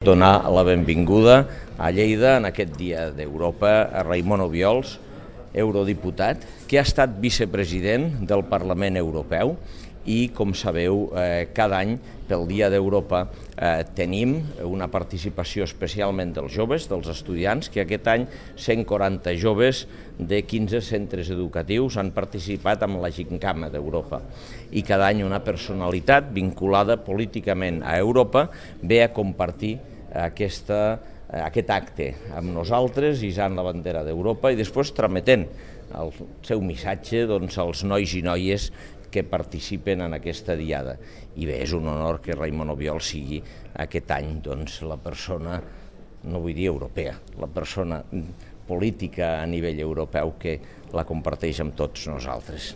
Donar la benvinguda a Lleida en aquest Dia d'Europa a Raimon Obiols, eurodiputat, que ha estat vicepresident del Parlament Europeu i, com sabeu, cada any pel Dia d'Europa tenim una participació especialment dels joves, dels estudiants, que aquest any 140 joves de 15 centres educatius han participat en la Gimcana d'Europa i cada any una personalitat vinculada políticament a Europa ve a compartir aquest acte amb nosaltres, hissant la bandera d'Europa i després trametent el seu missatge als nois i noies que participen en aquesta diada. I bé, és un honor que Raimon Obiols sigui aquest any la persona, no vull dir europea, la persona política a nivell europeu que la comparteix amb tots nosaltres.